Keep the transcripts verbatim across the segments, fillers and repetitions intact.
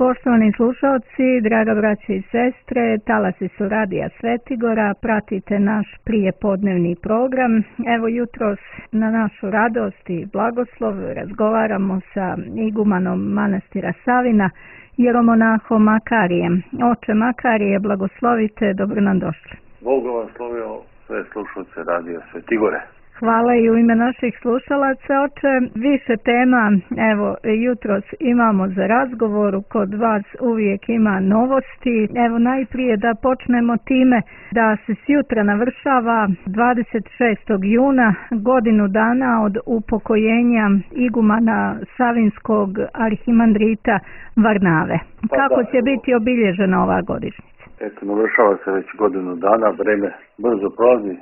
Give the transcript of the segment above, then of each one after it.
Poštovani slušalci, draga braća i sestre, talasi su Radija Svetigora, pratite naš prijepodnevni program. Evo jutros na našu radost i blagoslov razgovaramo sa igumanom manastira Savina, jeromonahom Makarijem. Oče Makarije, blagoslovite, dobro nam došli. Bog blagoslovio sve slušalce Radija Svetigore. Hvala i u ime naših slušalaca, oče. Više tema, evo, jutros imamo za razgovor, kod vas uvijek ima novosti. Evo, najprije da počnemo time da se sjutra navršava dvadeset šestog juna, godinu dana od upokojenja igumana Savinskog arhimandrita Varnave. Pa Kako da, će evo, biti obilježena ova godišnjica? Eto, navršava se već godinu dana, vreme brzo prolazi.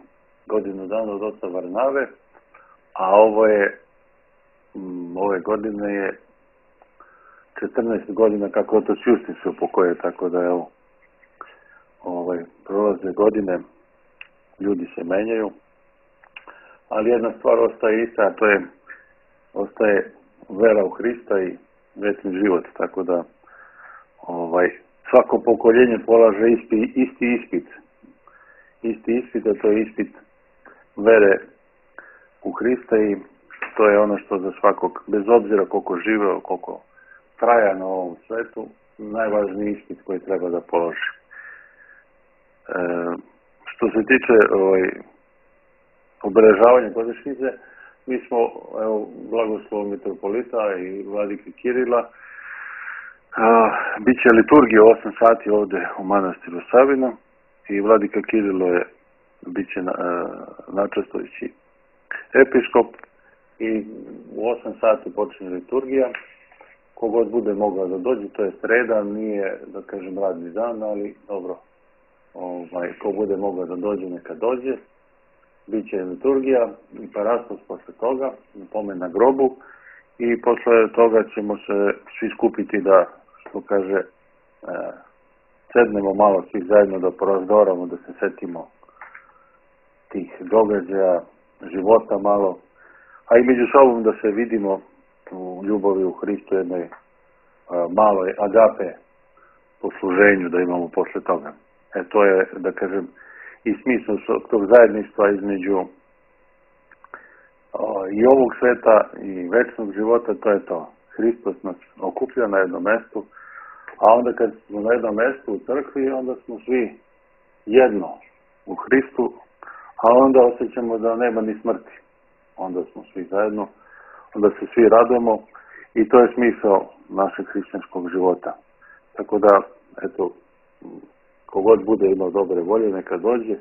Godinu dana od oca Varnave, a ovo je, m, ove godine je četrnaest godina kako otac Justin se upokoje, tako da evo, ovaj, prolaze godine, ljudi se menjaju, ali jedna stvar ostaje ista, a to je, ostaje vera u Hrista i večni život, tako da ovaj, svako pokoljenje polaže isti, isti ispit, isti ispit, a to je ispit vere u Hrista i to je ono što za svakog, bez obzira koliko živeo, koliko traja na ovom svetu, najvažniji ispit koji treba da položi. E, što se tiče ovaj, obeležavanja godišnjice, mi smo, evo, blagoslovom mitropolita i vladike Kirila, a, bit će liturgija osam sati ovde u manastiru Savinu i vladika Kirilo je bit će na, načastujući episkop i u osam sati počne liturgija. Kogod bude mogao da dođe, to je sreda, nije, da kažem, radni dan, ali dobro, ovaj, ko bude mogao da dođe, neka dođe. Biće liturgija i parastos posle toga, pomen na grobu i posle toga ćemo se svi skupiti da, što kaže, e, sednemo malo svi zajedno da porazgovaramo, da se setimo tih događaja, života malo, a i među sobom da se vidimo u ljubavi u Hristu, jednoj a, maloj agape posluženju da imamo posle toga. E to je, da kažem, i smisao tog zajedništva između a, i ovog sveta i večnog života, to je to. Hristos nas okuplja na jednom mestu, a onda kad smo na jednom mestu u crkvi, onda smo svi jedno u Hristu, a onda osjećamo da nema ni smrti. Onda smo svi zajedno, onda se svi radujemo i to je smisao našeg hrišćanskog života. Tako da, eto, kogod bude imao dobre volje, neka dođe.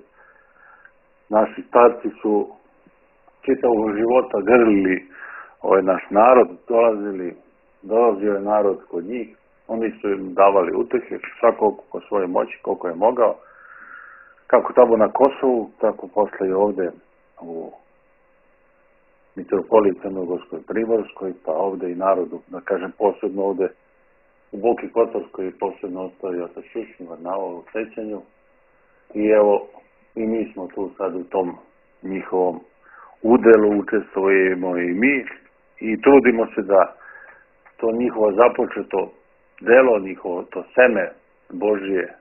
Naši starci su čitavog života grlili ovaj naš narod, dolazili, dolazio je narod kod njih, oni su im davali utehe, svako po svojoj moći, koliko je mogao. Kako tamo na Kosovu, tako posle i ovde u mitropoliji Crnogorskoj, Primorskoj, pa ovde i narodu, da kažem posebno ovde u Boki Kotorskoj posebno ostaje otac Justin Varnava u sećanju. I evo, i mi smo tu sad u tom njihovom udelu, učestvujemo i mi i trudimo se da to njihovo započeto delo, njihovo to seme Božije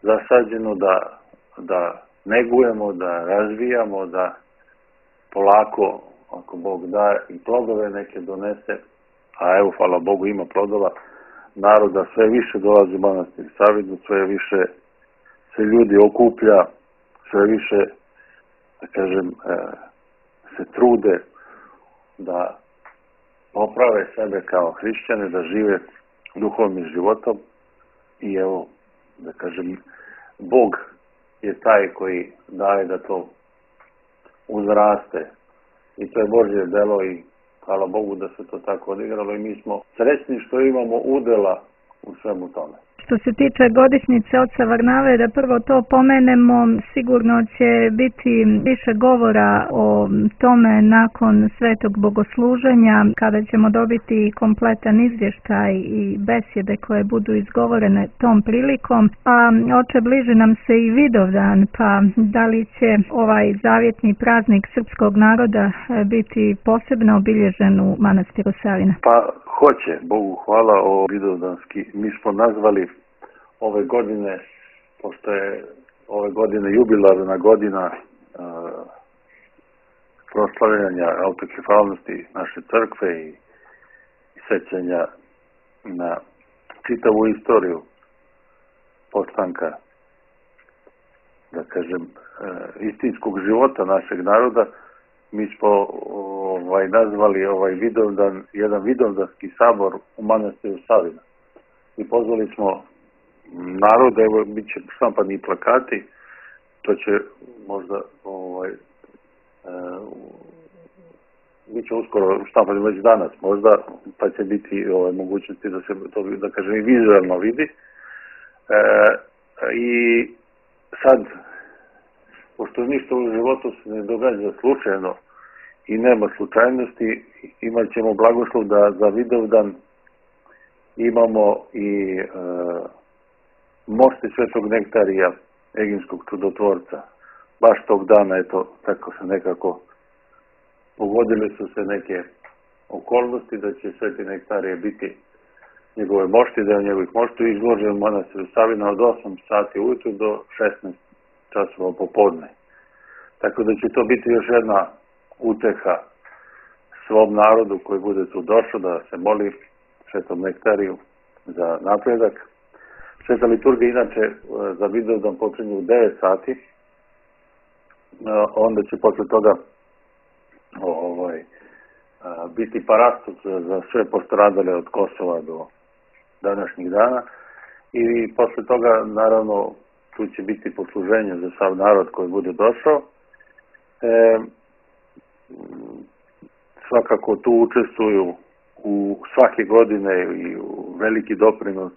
zasađeno da da negujemo, da razvijamo, da polako, ako Bog da, i plodove neke donese, a evo, hvala Bogu, ima plodova, naroda sve više dolazi u manastir Savinu, sve više se ljudi okuplja, sve više, da kažem, se trude da poprave sebe kao hrišćane, da žive duhovnim životom i evo, da kažem, Bog je taj koji daje da to uzraste i to je Božje delo i hvala Bogu da se to tako odigralo i mi smo srećni što imamo udela u svemu tome. Što se tiče godišnjice oca Varnave, da prvo to pomenemo, sigurno će biti više govora o tome nakon svetog bogosluženja, kada ćemo dobiti kompletan izvještaj i besjede koje budu izgovorene tom prilikom. A oče, bliži nam se i Vidovdan, pa da li će ovaj zavjetni praznik srpskog naroda biti posebno obilježen u manastiru Savina? Pa hoće, Bogu hvala, o vidovdanski mi smo nazvali ove godine, pošto je ove godine jubilarna godina uh, proslavljanja autokefalnosti naše crkve i, i sećanja na čitavu istoriju postanka, da kažem, uh, istinskog života našeg naroda, mi smo ovaj, nazvali ovaj Vidovdan, jedan vidovdanski sabor u manastiru Savina. I pozvali smo narod, evo, bit će štampani plakati, to će možda, ovaj, e, bit će uskoro štampani već danas možda, pa će biti ovaj, mogućnosti da se to, da kažem, i vizualno vidi. E, I sad, pošto ništa u životu se ne događa slučajno i nema slučajnosti, imat ćemo blagoslov da za Vidovdan imamo i e, mošti Svetog Nektarija, Eginskog čudotvorca. Baš tog dana, eto, tako se nekako pogodili su se neke okolnosti da će Sveti Nektarije biti njegove mošti, da je njegovih mošti izložen u manastiru Savina od osam sati ujutru do šesnaest časova popodne. Tako da će to biti još jedna uteha svom narodu koji bude tu došao da se moli Svetom Nektariju za napredak. Sveta liturgija inače za Vidovdan počinje u devet sati, onda će posle toga ovaj, biti parastos za sve postradale od Kosova do današnjih dana i posle toga naravno tu će biti posluženje za sav narod koji bude došao. E, svakako tu učestvuju u svake godine i u veliki doprinos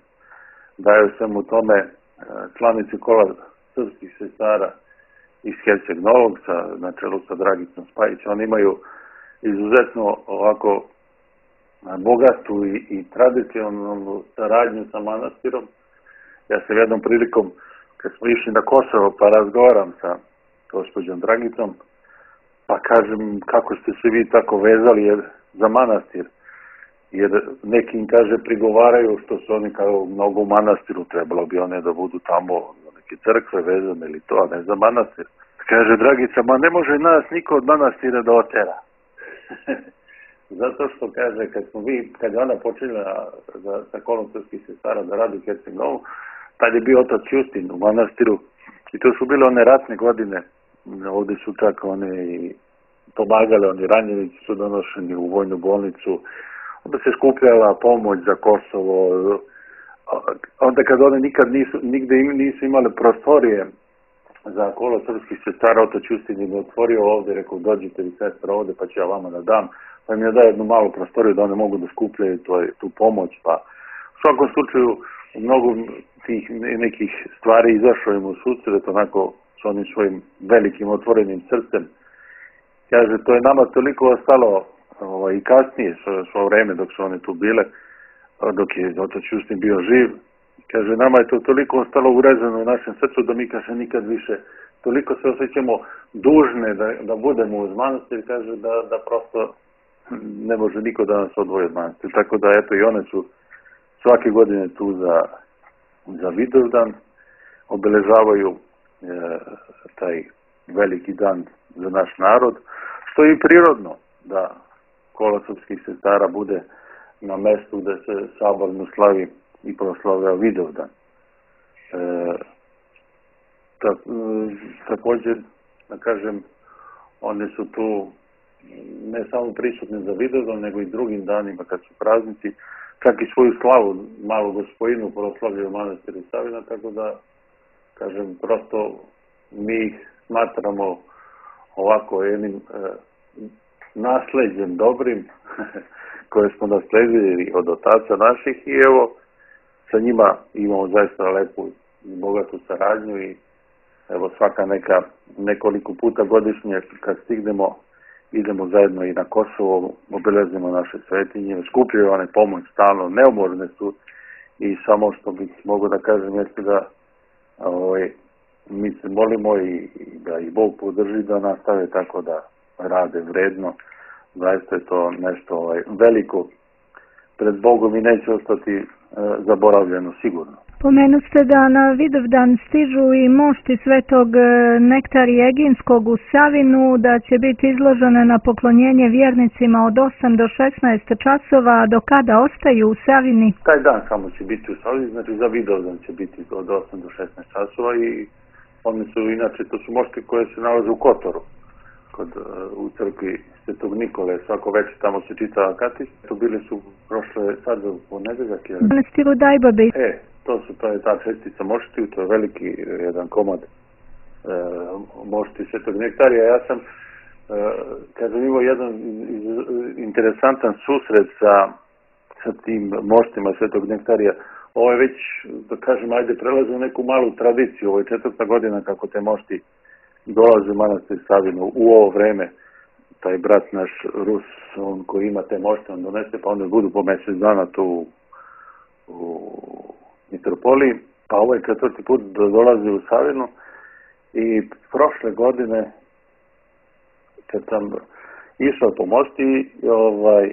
daju svemu tome članici kola srpskih sestara iz Herceg Novog na čelu sa Dragicom Spajić. Oni imaju izuzetno ovako bogatu i, i tradicionalnu saradnju sa manastirom. Ja se jednom prilikom, kad smo išli na Kosovo, pa razgovaram sa gospođom Dragicom, pa kažem kako ste se vi tako vezali jer, za manastir. Jer neki im, kaže, prigovaraju što su oni kao mnogo u manastiru, trebalo bi one da budu tamo za neke crkve vezane ili to, a ne za manastir. Kaže Dragica, ma ne može nas niko od manastira da otera. Zato što, kaže, kad smo vi, kad je ona počela za, sa kolom srpskih sestara da radi u Herceg Novu, tad je bio otac Justin u manastiru i to su bile one ratne godine. Ovdje su čak one i pomagale, oni ranjenici su donošeni u vojnu bolnicu, onda se skupljala pomoć za Kosovo, onda kad one nikad nisu, nigde nisu imale prostorije za kolo srpskih sestara, otac Justin im je otvorio ovdje, rekao dođite vi sestra ovdje pa ću ja vama da dam, pa im je dao jednu malu prostoriju da one mogu da skupljaju tu pomoć, pa u svakom slučaju u mnogo tih nekih stvari izašao im u susret, onako s onim svojim velikim otvorenim srcem. Kaže, to je nama toliko ostalo ovaj, i kasnije, svo, svo vreme dok su one tu bile, dok je otac Justin bio živ. Kaže, nama je to toliko ostalo urezano u našem srcu da mi, kaže, nikad više toliko se osjećamo dužne da, da budemo uz manastir, kaže, da, da prosto ne može niko da nas odvoji od manastir. Tako da, eto, i one su svake godine tu za, za Vidovdan, obeležavaju e, taj veliki dan za naš narod, što je i prirodno da kola srpskih sestara bude na mestu gde se saborno slavi i proslavlja Vidovdan. E, ta, također, da kažem, one su tu ne samo prisutne za Vidovdan, nego i drugim danima kad su praznici, čak i svoju slavu malu Gospojinu proslavljaju manastiru Savina, tako da, kažem, prosto mi ih smatramo ovako jednim e, nasleđem dobrim koje smo nasledili od otaca naših i evo sa njima imamo zaista lepu i bogatu saradnju i evo svaka neka nekoliko puta godišnje kad stignemo idemo zajedno i na Kosovo, obeležimo naše svetinje, skupljaju one pomoć stalno, neumorne su i samo što bih mogu da kažem jeste da ovaj, mi se molimo i, i da i Bog podrži da nastave tako da rade vredno. Zaista je to nešto ovaj, veliko pred Bogom i neće ostati e, zaboravljeno sigurno. Pomenu ste da na Vidovdan stižu i mošti svetog Nektarija Eginskog u Savinu, da će biti izložene na poklonjenje vjernicima od osam do šesnaest časova, do kada ostaju u Savini? Taj dan samo će biti u Savini, znači za Vidovdan će biti od osam do šesnaest časova i oni su, inače, to su mošti koje se nalaze u Kotoru, kod, u crkvi Svetog Nikole, svako večer tamo se čita Akatist. Tu bili su prošle sad u ponedeljak. Manastiru Dajbabe. E, to su, to je ta šestica moštiju, to je veliki jedan komad e, mošti Svetog Nektarija. Ja sam, e, kažem, imao jedan interesantan susret sa, sa tim moštima Svetog Nektarija. Ovo je već, da kažem, ajde, prelazi u neku malu tradiciju. Ovo je četvrta godina kako te mošti dolaze u manastir Savinu u ovo vreme. Taj brat naš Rus, on koji ima te mošte, on donese, pa onda budu po mjesec dana tu u mitropoliji. Pa ovo je četvrti put da dolazi u Savinu i prošle godine kad sam išao po mošti, ovaj,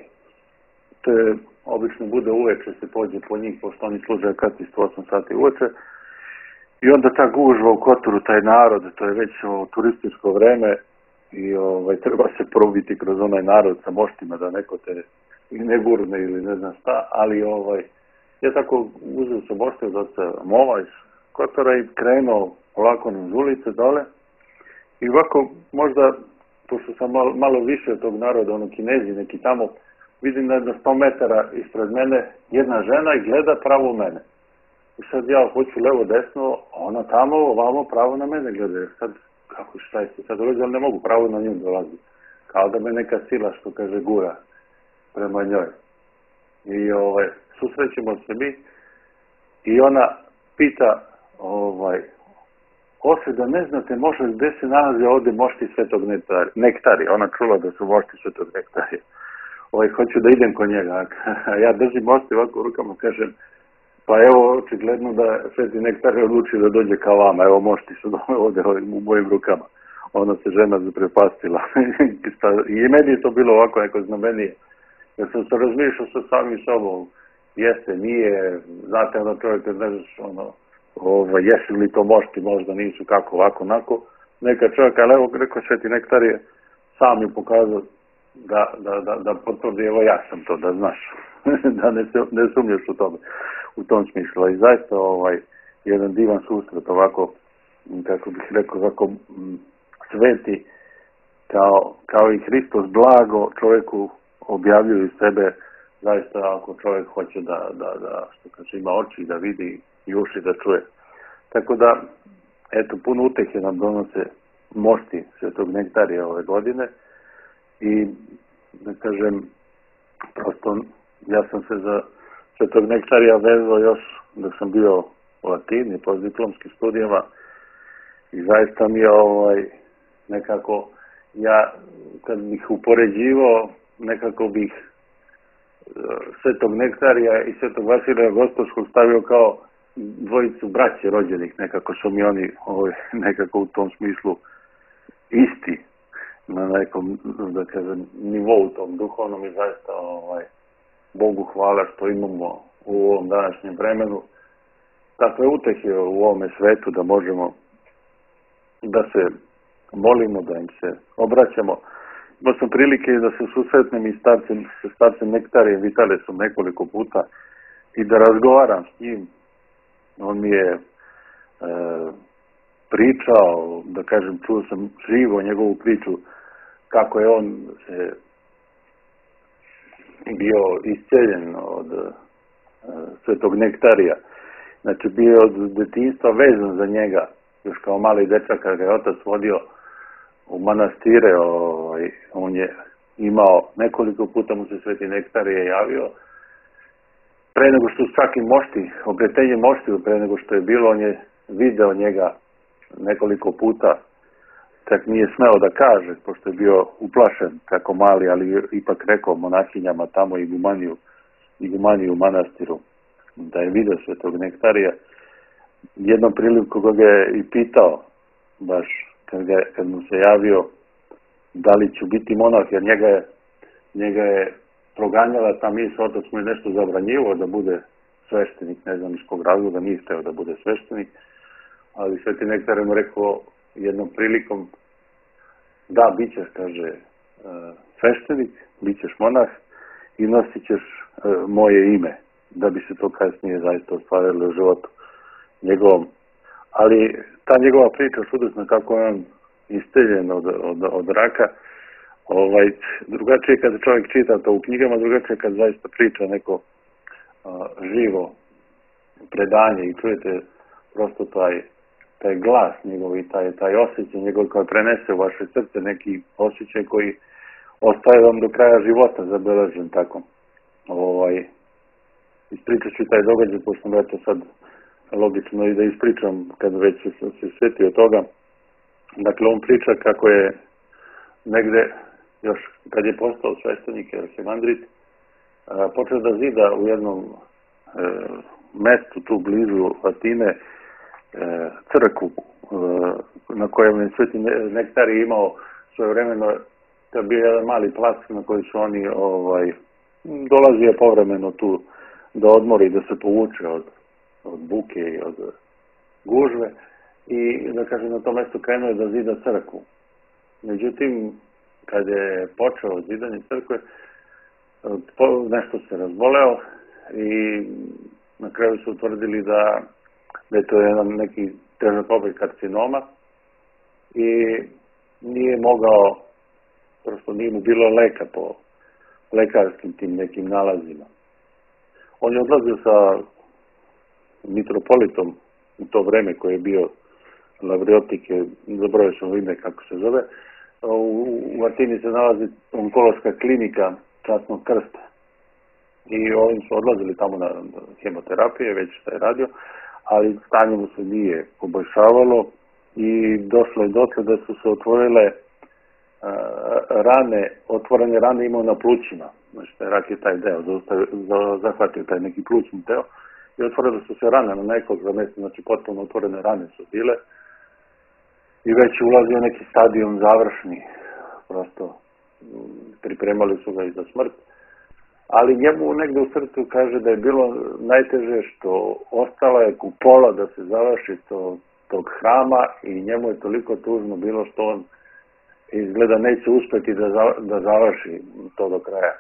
to je, obično bude uveče, se pođe po njih, pošto oni služe Akatist u osam sati uveče. I onda ta gužva u Kotoru, taj narod, to je već o, turističko vreme i ovaj, treba se probiti kroz onaj narod sa moštima da neko te ne gurne ili ne znam šta, ali ovaj, ja tako uzeo sam mošte od oca Mova iz Kotora i krenuo ovako niz ulice dole i ovako možda, pošto sam malo, malo više od tog naroda, ono Kinezi neki tamo, vidim da je na sto metara ispred mene jedna žena i gleda pravo u mene. I sad ja hoću levo desno, ona tamo ovamo pravo na mene gleda. Sad, kako šta je sad dolazi, ali ne mogu pravo na nju dolazi. Kao da me neka sila, što kaže, gura prema njoj. I ovaj, susrećemo se mi i ona pita, ovaj, Ose, da ne znate možda gde se nalaze ovde mošti Svetog Nektarija. Ona čula da su mošti Svetog Nektarija. Ovaj, hoću da idem kod njega. Ja držim mošti ovako u rukama, kažem, pa evo, očigledno da Sveti Nektarij odluči da dođe ka vama. Evo, mošti su ovde u mojim rukama. Ona se žena zaprepastila. I meni je to bilo ovako neko znamenije. Jer sam se razmišljao sa samim sobom. Jeste, nije, znate, ono čovjek kad ne znaš, ono, ovo, jesu li to mošti, možda nisu, kako, ovako, onako. Neka čovjek, ali evo, rekao Sveti Nektarije, sam mi pokazao da, da, da, da potvrdi, evo ja sam to, da znaš. Da ne, ne sumnjaš u tome, u tom smislu. I zaista ovaj, jedan divan susret, ovako, kako bih rekao, ovako m, sveti, kao, kao i Hristos blago čovjeku objavljuju sebe, zaista ako čovjek hoće da, da, da što kaže, ima oči da vidi i uši da čuje. Tako da, eto, puno utehe nam donose mošti Svetog Nektarija ove godine i, da kažem, prosto ja sam se za Svetog Nektarija vezao još da sam bio u Latini, postdiplomskim studijama i zaista mi je ovaj, nekako, ja kad bih upoređivao, nekako bih Svetog Nektarija i Svetog Vasilija Gostovskog stavio kao dvojicu braće rođenih, nekako su mi oni ovaj, nekako u tom smislu isti na nekom, da kažem, nivou tom duhovnom i zaista ovaj, Bogu hvala što imamo u ovom današnjem vremenu takve utehe u ovome svetu da možemo da se molimo, da im se obraćamo. Imao sam prilike da se susretnem i starcem, sa starcem Nektarijem Vitalesom nekoliko puta i da razgovaram s njim. On mi je e, pričao, da kažem, čuo sam živo njegovu priču kako je on se bio isceljen od e, Svetog Nektarija. Znači bio od detinjstva vezan za njega, još kao mali dečak kada ga je otac vodio u manastire, ovaj, on je imao, nekoliko puta mu se Sveti Nektarije javio. Pre nego što svaki mošti, obretenje moštiju, pre nego što je bilo, on je video njega nekoliko puta, čak nije smeo da kaže, pošto je bio uplašen kako mali, ali ipak rekao monahinjama tamo i gumaniju, i gumaniju u manastiru, da je video Svetog Nektarija. Jednom priliku koga je i pitao, baš kad, ga, kad mu se javio, da li ću biti monah, jer njega je, njega je proganjala ta misao, otac mu je nešto zabranjivo da bude sveštenik, ne znam iz kog razloga, nije hteo da bude sveštenik, ali Sveti Nektar je mu rekao jednom prilikom, da, bit ćeš, kaže, sveštenik, bit ćeš monah i nosit ćeš moje ime, da bi se to kasnije zaista ostvarilo u životu njegovom. Ali ta njegova priča čudesna, kako je on isteljen od, od, od raka, ovaj, drugačije kada čovjek čita to u knjigama, drugačije kada zaista priča neko a, živo predanje i čujete prosto taj, taj glas njegov i taj, taj osjećaj njegov koji prenese u vaše srce, neki osjećaj koji ostaje vam do kraja života zabeležen tako. Ovaj, ispričat ću taj događaj, pošto sam eto sad logično i da ispričam kad već se, se sjetio toga. Dakle, on priča kako je negde, još kad je postao sveštenik, arhimandrit, počeo da zida u jednom e, mestu tu blizu Atine e, crkvu e, na kojem je Sveti Nektar imao svojevremeno, to je bio jedan mali plac na koji su oni ovaj, dolazio povremeno tu da odmori, da se povuče od, od buke i od gužve i da kažem na tom mjestu krenuo je da zida crkvu. Međutim, kad je počeo zidanje crkve, nešto se razboleo i na kraju su utvrdili da, da je to jedan neki težak oblik karcinoma i nije mogao, prosto nije mu bilo leka po lekarskim tim nekim nalazima. On je odlazio sa mitropolitom u to vreme koje je bio Lavriotike, zaboravio sam ime kako se zove. U, u Atini se nalazi onkološka klinika Časnog krsta. I ovim su odlazili tamo na hemoterapije, već šta je radio, ali stanje mu se nije poboljšavalo i došlo je dotle da su se otvorile uh, rane, otvorene rane imao na plućima. Znači, rak je taj deo, zahvatio taj neki plućni deo i otvorile su se rane na nekoliko mjesta, znači potpuno otvorene rane su bile i već je ulazio neki stadion završni, prosto pripremali su ga i za smrt, ali njemu negde u srcu kaže da je bilo najteže što ostala je kupola da se završi to, tog hrama i njemu je toliko tužno bilo što on izgleda neće uspjeti da, za, da završi to do kraja.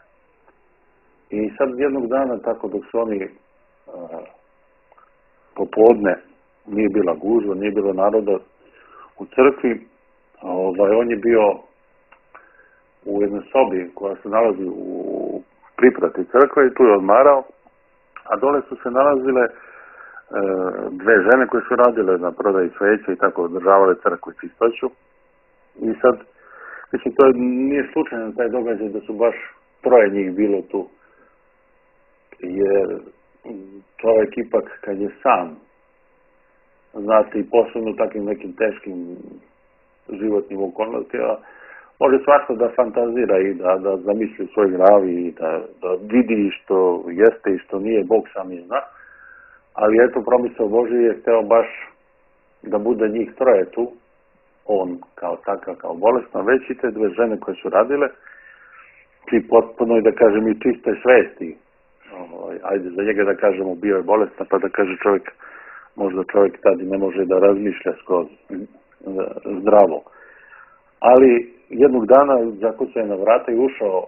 I sad jednog dana, tako dok su oni a, popodne, nije bila gužva, nije bilo naroda u crkvi, ovaj, on je bio u jednoj sobi koja se nalazi u priprati crkve i tu je odmarao, a dole su se nalazile e, dve žene koje su radile na prodaji sveća i tako održavale crkvu i čistoću. I sad, mislim, to je, nije slučajno taj događaj da su baš troje njih bilo tu, jer čovjek ipak kad je sam, znate, i posebno takvim nekim teškim životnim okolnostima, može svašta da fantazira i da, da zamisli u svoj glavi i da, da vidi što jeste i što nije, Bog sam je zna. Ali eto, promisao Božji je hteo baš da bude njih troje tu, on kao takav, kao bolesna, već i te dve žene koje su radile, i potpuno, da kažem, i čiste svesti. Ajde, za njega da kažemo, bio je bolesna, pa da kaže čovjek, možda čovjek tada ne može da razmišlja skroz zdravo. Ali jednog dana zakucao je na vrata i ušao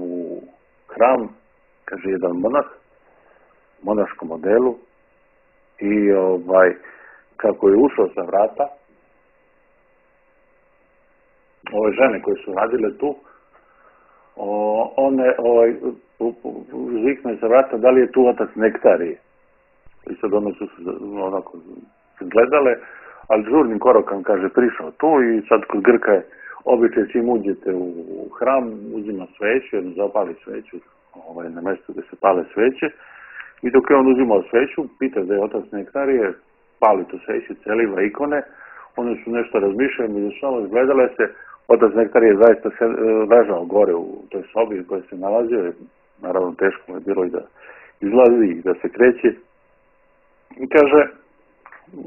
u hram, kaže jedan monah, monaškom modelu, i ovaj, kako je ušao sa vrata, ove žene koje su radile tu, o, one ovaj, zvikne sa vrata da li je tu otac Nektarije. I sad one su se onako gledale, ali žurnim korakom, kaže, prišao tu i sad kod Grka je običaj čim uđete u hram, uzima sveću, jedno zapali sveću ovaj, na mjestu gdje se pale sveće, i dok je on uzimao sveću, pita da je otac Nektarije, pali tu sveću, celiva ikone, one su nešto razmišljali, među sobom gledale se, otac Nektarije zaista se ležao gore u toj sobi u kojoj se nalazio, naravno teško je bilo i da izlazi i da se kreće, i kaže,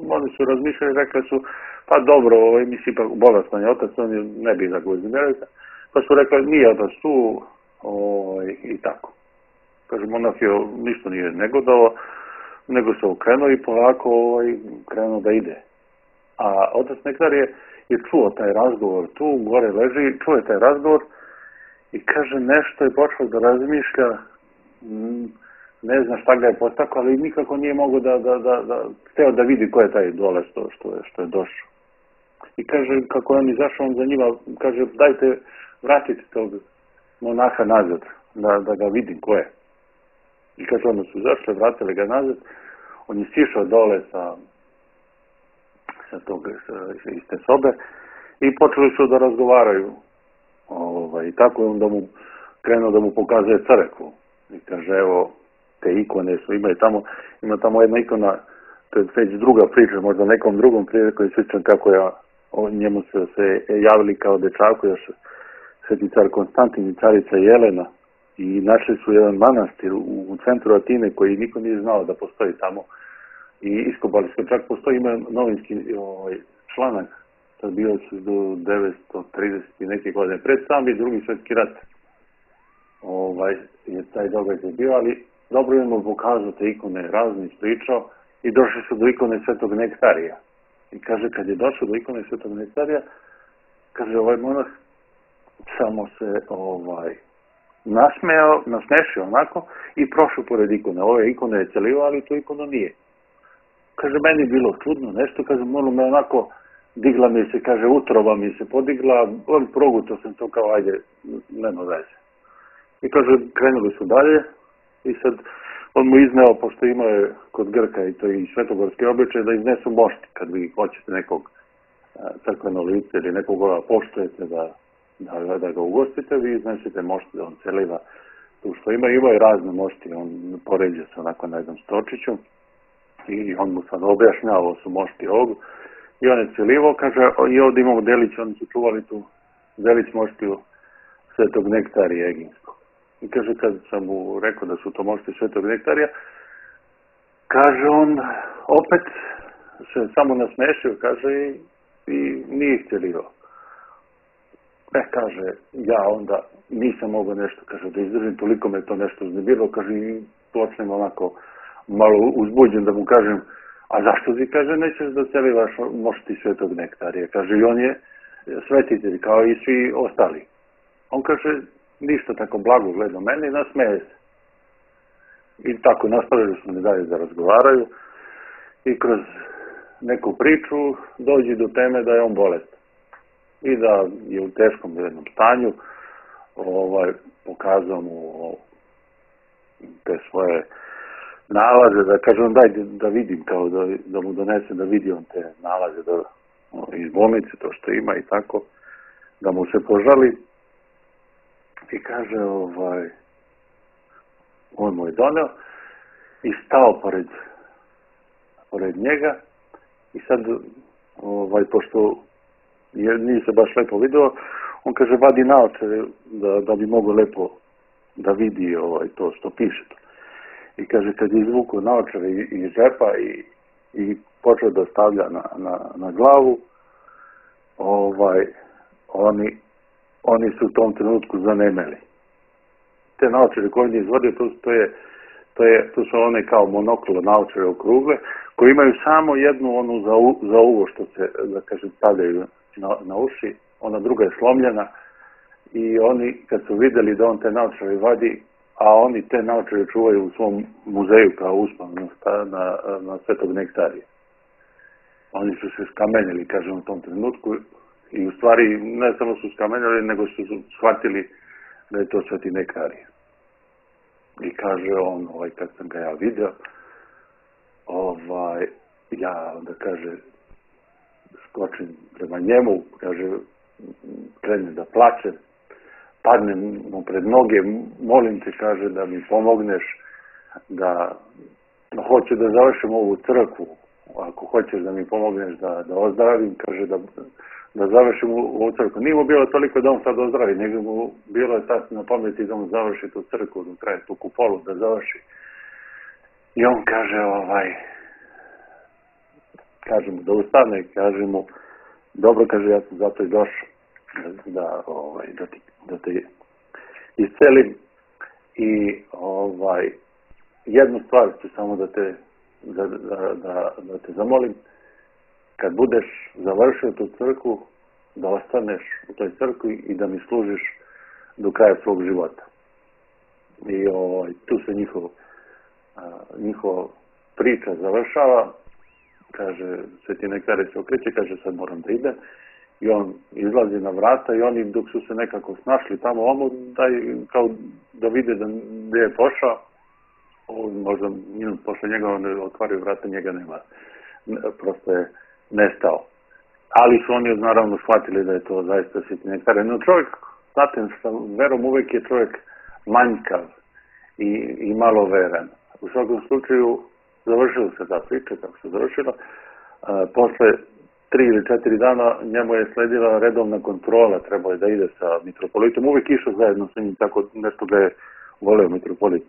oni su razmišljali, rekli su, pa dobro, ovaj, misli, pa bolestan je otac, on ne bi da ga uzmirali. Pa su rekli, nije otac tu, ovaj, i tako. Kaže, monah je ništa nije negodao, nego se okrenuo i polako ovaj, krenuo da ide. A otac Nektar je, je čuo taj razgovor, tu gore leži, čuo je taj razgovor i kaže, nešto je počeo da razmišlja, ne zna šta ga je potakao, ali nikako nije mogo da, da, da, da, hteo da vidi ko je taj dole što, što, je, što je došao. I kaže, kako je on izašao, on za njima, kaže, dajte, vratite tog monaha nazad, da, da ga vidim ko je. I kaže, onda su izašli, vratili ga nazad, on je sišao dole sa, sa tog, sa, iz te sobe i počeli su da razgovaraju. Ovaj, I tako je on da mu krenuo da mu pokazuje crkvu. I kaže, evo, te ikone su, ima tamo, ima tamo jedna ikona, to je već druga priča, možda nekom drugom priliku je sličan kako ja, o njemu se, se javili kao dečaku, još sveti car Konstantin i carica Jelena i našli su jedan manastir u, u centru Atine koji niko nije znao da postoji tamo i iskopali su, čak postoji, ima novinski ovaj, članak, to je bio do devetsto trideset i neke godine, pred sami drugi svjetski rat ovaj, je taj događaj bio, ali dobro je mu pokazao te ikone, razne ispričao i došli su do ikone Svetog Nektarija. I kaže, kad je došao do ikone Svetog Nektarija, kaže, ovaj monah samo se ovaj, nasmejao, nasmešio onako i prošao pored ikone. Ove ikone je celio, ali tu ikonu nije. Kaže, meni je bilo čudno nešto, kaže, malo me onako, digla mi se, kaže, utrova mi se podigla, on progutao sam to kao, ajde, nema veze. I kaže, krenuli su dalje i sad on mu izneo, pošto imao kod Grka i to i svetogorski običaj, da iznesu mošti, kad vi hoćete nekog crkveno lice ili nekoga poštujete da, da, da ga ugostite, vi iznesete mošti da on celiva tu što ima. Ima i razne mošti, on poređe se onako na jednom stočiću i on mu sad objašnjava, ovo su mošti ovog. I on je celivo, kaže, i ovdje imamo delić, oni su čuvali tu delić moštiju Svetog Nektarija Eginskog. I kaže, kad sam mu rekao da su to mošti Svetog Nektarija, kaže on, opet se samo nasmešio, kaže, i, i nije ih celivao. E, kaže, ja onda nisam mogao nešto, kaže, da izdržim, toliko me to nešto uznemirilo, kaže, i počnem onako malo uzbuđen da mu kažem, a zašto ti, kaže, nećeš da celivaš mošti Svetog Nektarija? Kaže, i on je svetitelj, kao i svi ostali. On kaže, ništa, tako blago gleda mene i nasmeje se. I tako nastavili smo ne dalje da razgovaraju i kroz neku priču dođe do teme da je on bolestan i da je u teškom jednom stanju. Ovaj, pokazao mu te svoje nalaze, da kaže on, daj da vidim, kao da, da mu donese da vidi on te nalaze da, iz bolnice, to što ima i tako, da mu se požali. I kaže, ovaj, on mu je doneo i stao pored, pored njega i sad, ovaj, pošto je, nije se baš lepo video, on kaže, vadi naočare da, da bi mogo lepo da vidi ovaj, to što piše to. I kaže, kad je izvukao naočare iz džepa i, i počeo da stavlja na, na, na glavu, ovaj, oni oni su u tom trenutku zanemeli. Te naočare koje on je izvodio, to, to, je, to, je, to su one kao monoklo naočare okrugle, koji imaju samo jednu onu za, u, za uvo što se, da kažem, stavljaju na, na uši, ona druga je slomljena i oni kad su vidjeli da on te naočare vadi, a oni te naočare čuvaju u svom muzeju kao uspan na, na, na Svetog Nektarija. Oni su se skamenjali, kažem, u tom trenutku. I u stvari ne samo su skamenjali, nego su shvatili da je to Sveti Nektarije. I kaže on, ovaj, kad sam ga ja vidio, ovaj, ja onda kaže, skočim prema njemu, kaže, krenem da plačem, padnem mu pred noge, molim te, kaže, da mi pomogneš, da hoću da završim ovu crkvu, ako hoćeš da mi pomogneš da, da ozdravim, kaže, da da završim u crkvu. Nije mu bilo toliko da on sad ozdravi, nego mu bilo je tad na pameti da on završi tu crkvu, da traje tu kupolu, da završi. I on kaže, ovaj, kaže mu da ustane, kaže mu, dobro, kaže, ja sam zato i došao, da, ovaj, da, ti, da te iscelim. I ovaj, jednu stvar ću samo da te, da, da, da, da te zamolim, kad budeš završio tu crkvu, da ostaneš u toj crkvi i da mi služiš do kraja svog života. I ovaj, tu se njihov, a, njihova priča završava, kaže, Sveti Nektarije se okreće, kaže, sad moram da idem. I on izlazi na vrata i oni dok su se nekako snašli tamo omo, daj, kao da vide da gdje je pošao, možda minut posle njega on otvario vrata, njega nema, prosto je nestao. Ali su oni naravno shvatili da je to zaista Sveti Nektarije. No čovjek, znate, sa verom uvek je čovjek manjkav i, i malo veran. U svakom slučaju završila se ta priča, kako se završila. A, posle tri ili četiri dana njemu je sledila redovna kontrola, trebao je da ide sa mitropolitom. Uvijek išao zajedno sa njim, tako nešto ga je voleo mitropolit.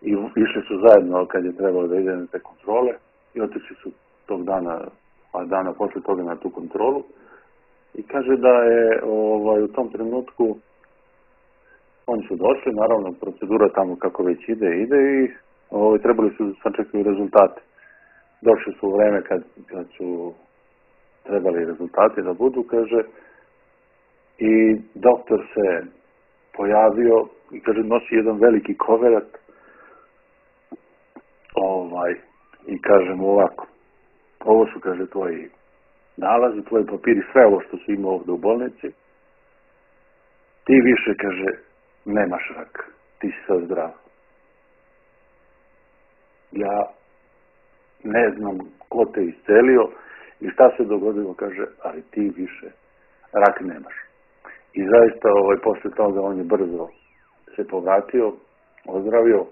I išli su zajedno kad je trebalo da ide na te kontrole i otišli su tog dana, a dana posle toga na tu kontrolu. I kaže da je ovaj, u tom trenutku oni su došli, naravno procedura tamo kako već ide, ide i ovaj, trebali su sačekati rezultate. Došli su u vreme kad, kad su trebali rezultati da budu, kaže, i doktor se pojavio i kaže, nosi jedan veliki koverat ovaj, i kaže mu ovako, ovo su, kaže, tvoji nalazi, tvoji papiri, sve ovo što si imao ovdje u bolnici, ti više, kaže, nemaš rak, ti si sad zdrav. Ja ne znam ko te iscelio i šta se dogodilo, kaže, ali ti više rak nemaš. I zaista, ovaj, posle toga on je brzo se povratio, ozdravio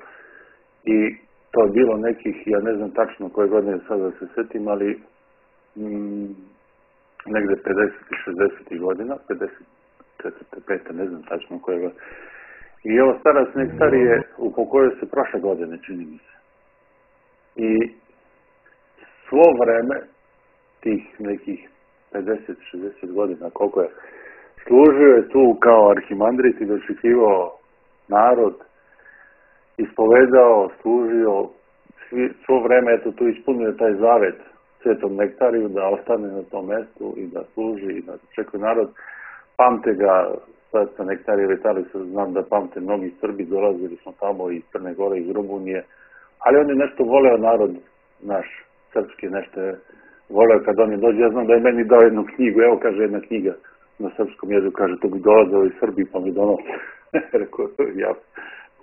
i to je bilo nekih, ja ne znam tačno koje godine sada da se setim, ali mm, negde pedeset i šezdeset godina, pedeset četiri pet ne znam tačno koje godine. I ovo starac Nektarije upokojio se prošle godine, čini mi se. I svo vreme, tih nekih pedeset šezdeset godina, koliko je, služio je tu kao arhimandrit i dočekivao narod, ispovedao, služio, svi, svo vreme, eto, tu ispunio taj zavet Svetom Nektariju da ostane na tom mestu i da služi i da čekuje narod. Pamte ga, Sveta Nektarije Vitalica, znam da pamte mnogi Srbi, dolazili smo tamo iz Crne Gore, iz Rumunije, ali on je nešto voleo narod naš, srpski, nešto je voleo kad oni dođe. Ja znam da je meni dao jednu knjigu, evo, kaže, jedna knjiga na srpskom jeziku, kaže, to bi dolazao iz Srbiji, pa mi donao. Rekao, ja,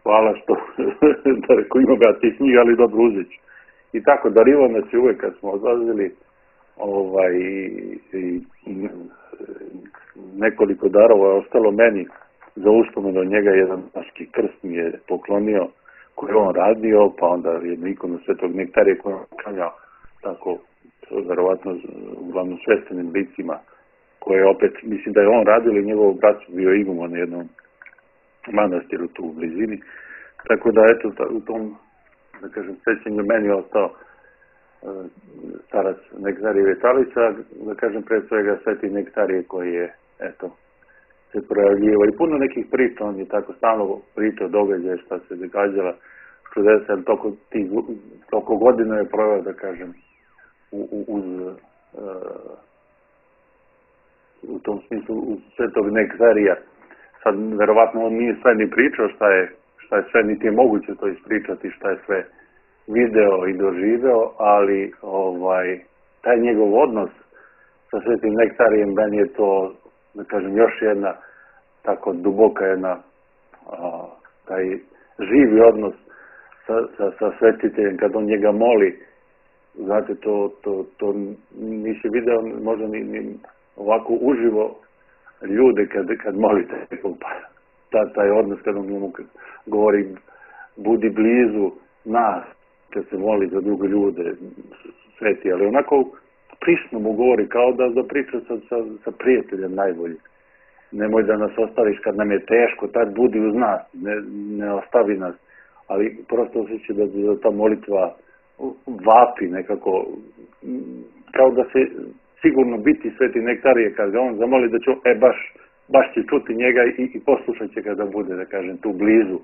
hvala što, da rekao, imam ja ti knjiga, ali dobro uzet ću. I tako, darivo nas je uvek kad smo odlazili, ovaj, i, i, i nekoliko darova je ostalo meni za uspomenu od njega. Jedan naški krst mi je poklonio koji je on radio, pa onda jednu ikonu Svetog Nektarije koju on klanjao, tako, verovatno, uglavnom sveštenim licima, koje opet, mislim da je on radio ili njegov brat bio iguman na jednom manastiru tu u blizini. Tako da, eto, u tom, da kažem, sećanju meni je ostao uh, starac Nektarije Vitalica, da kažem, pre svega Sveti Nektarije koji je, eto, se projavljivo. I puno nekih priča, on je tako stalno pričao događaje šta se događala, čudesa, ali toliko, tih, toliko godina je proveo, da kažem, u, u, uz, uh, u tom smislu, uz Svetog Nektarija. Sad, verovatno, on nije sve ni pričao šta je, šta je sve, niti je moguće to ispričati, šta je sve video i doživeo, ali ovaj, taj njegov odnos sa Svetim Nektarijem, meni je to, da kažem, još jedna tako duboka jedna, a, taj živi odnos sa, sa, sa svetiteljem, kad on njega moli. Znate, to, to, to nisi video možda ni, ni ovako uživo ljude kad, kad molite. Ta, taj odnos kad on njemu govori budi blizu nas, kad se moli za druge ljude, sveti, ali onako prisno mu govori, kao da, da priča sa, sa, sa prijateljem najbolji. Nemoj da nas ostaviš kad nam je teško, tad budi uz nas, ne, ne ostavi nas, ali prosto osjeća da, da ta molitva vapi nekako, kao da se sigurno biti Sveti Nektarije, kad ga on zamoli da će, e baš baš će čuti njega i, i poslušat će ga da bude, da kažem, tu blizu,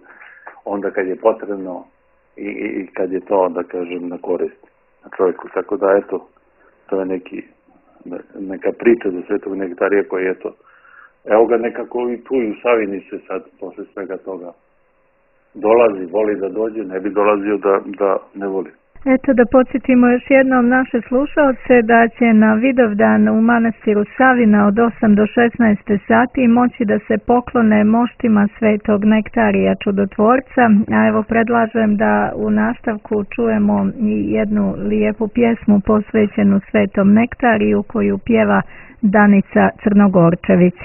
onda kad je potrebno i, i kad je to, da kažem, na korist na čovjeku. Tako da, eto, to je neki, neka priča za Svetog Nektarija koji, eto, evo ga nekako i tu i u Savini se sad, posle svega toga, dolazi, voli da dođe, ne bi dolazio da, da ne voli. Eto da podsjetimo još jednom naše slušalce da će na Vidovdan u manastiru Savina od osam do šesnaest sati moći da se poklone moštima Svetog Nektarija Čudotvorca, a evo predlažem da u nastavku čujemo i jednu lijepu pjesmu posvećenu Svetom Nektariju koju pjeva Danica Crnogorčević.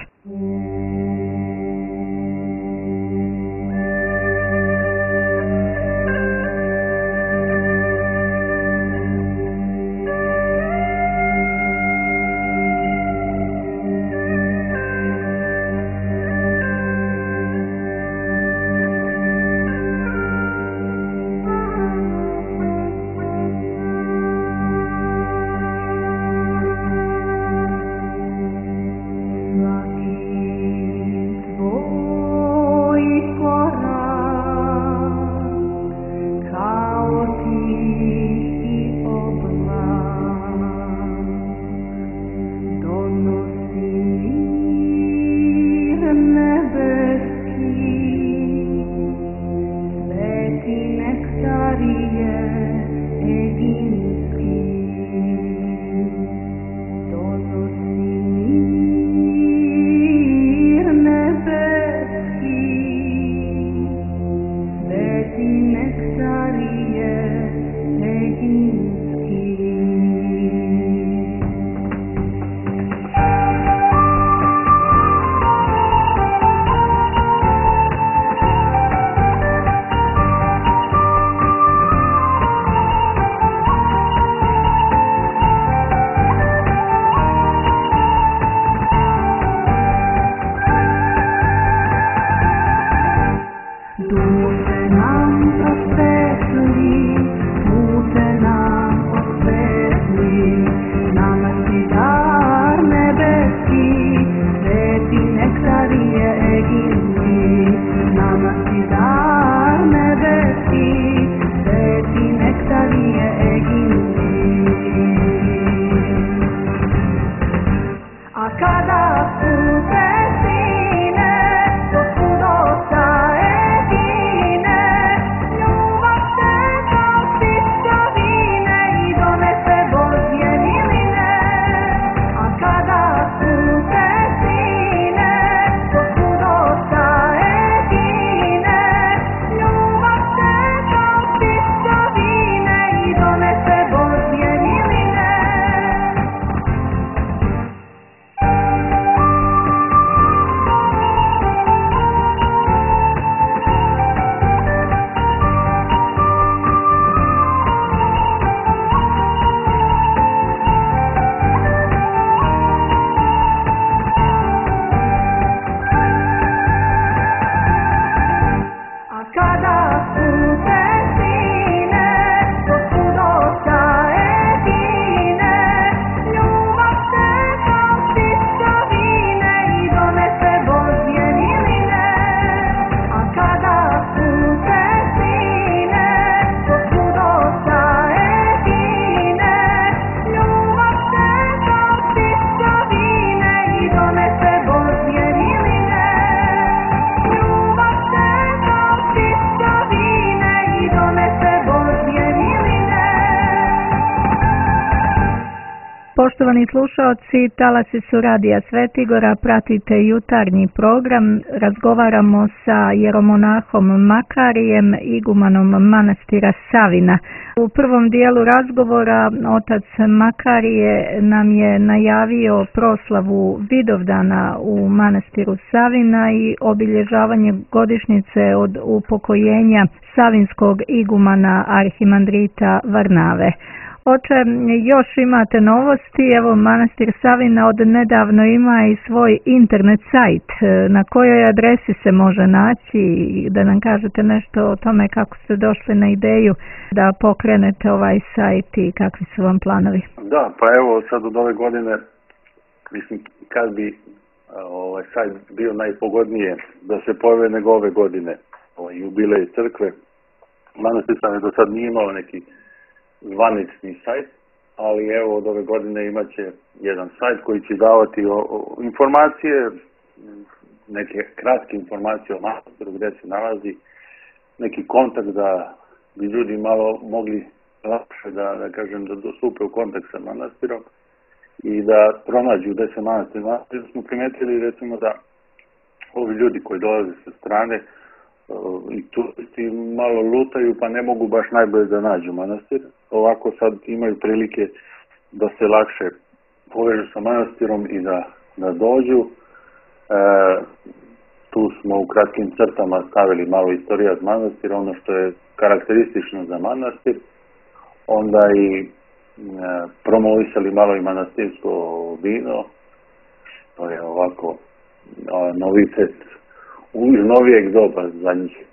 Poštovani slušaoci, talasi su Radija Svetigora, pratite jutarnji program, razgovaramo sa jeromonahom Makarijem, igumanom manastira Savina. U prvom dijelu razgovora otac Makarije nam je najavio proslavu Vidovdana u manastiru Savina i obilježavanje godišnjice od upokojenja savinskog igumana arhimandrita Varnave. Oče, još imate novosti, evo manastir Savina od nedavno ima i svoj internet sajt. Na kojoj adresi se može naći, da nam kažete nešto o tome kako ste došli na ideju da pokrenete ovaj sajt i kakvi su vam planovi? Da, pa evo sad od ove godine, mislim, kad bi ovaj sajt bio najpogodnije da se pojave nego ove godine, ovaj jubilej crkve. Manastir Slavin do sad nije imao neki zvanični sajt, ali evo od ove godine imaće jedan sajt koji će davati o, o, informacije, neke kratke informacije o manastiru, gdje se nalazi, neki kontakt da bi ljudi malo mogli lakše da, da kažem, da dostupe u kontakt sa manastirom i da pronađu gdje se manastir nalazi. Smo primetili recimo da ovi ljudi koji dolaze sa strane i turisti malo lutaju pa ne mogu baš najbolje da nađu manastir. Ovako sad imaju prilike da se lakše povežu sa manastirom i da, da dođu. E, tu smo u kratkim crtama stavili malo istorija z manastira, ono što je karakteristično za manastir, onda i e, promovisali malo i manastirsko vino, što je ovako a, novitet iz novijeg doba, zadnjih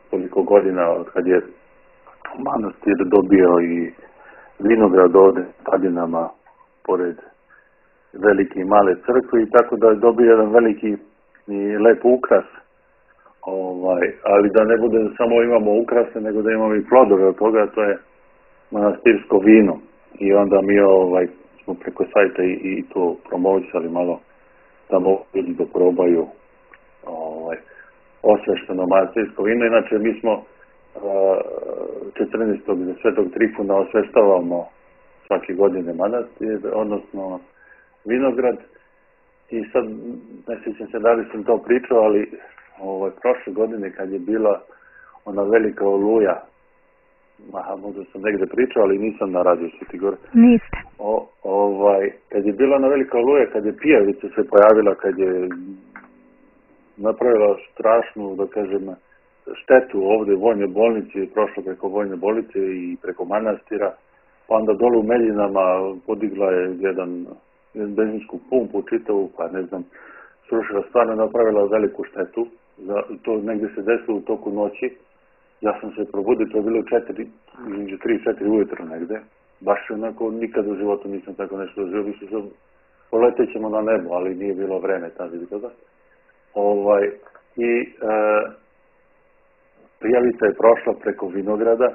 koliko godina od kad je manastir dobio i vinograd ovde padinama pored velike i male crkve i tako da je dobio jedan veliki i lep ukras, ovaj, ali da ne bude da samo imamo ukrase, nego da imamo i plodove od toga, to je manastirsko vino. I onda mi ovaj, smo preko sajta i, i to promovisali malo da mogu ljudi da probaju ovaj, osvešteno manastirsko vino. Inače mi smo četrnaestog za Svetog Trifuna osveštavamo svake godine manastir, odnosno vinograd. I sad, ne sjećam se da li sam to pričao, ali ovaj, prošle godine kad je bila ona velika oluja, aha, možda sam negde pričao, ali nisam na radiju Sveti Gor. Niste. O, ovaj, kad je bila ona velika oluja, kad je pijavica se pojavila, kad je napravila strašnu, da kažem, štetu ovde u vojnoj bolnici, prošlo preko vojne bolnice i preko manastira, pa onda dole u Meljinama podigla je jedan benzinsku pumpu čitavu, pa ne znam, srušila, stvarno napravila veliku štetu. Za, to negde se desilo u toku noći. Ja sam se probudio, to je bilo četiri, između tri i četiri ujutro negde. Baš onako, nikad u životu nisam tako nešto doživio. Mislim se, poletet ćemo na nebo, ali nije bilo vreme tada ili toga. Ovaj, I e, prijavica je prošla preko vinograda,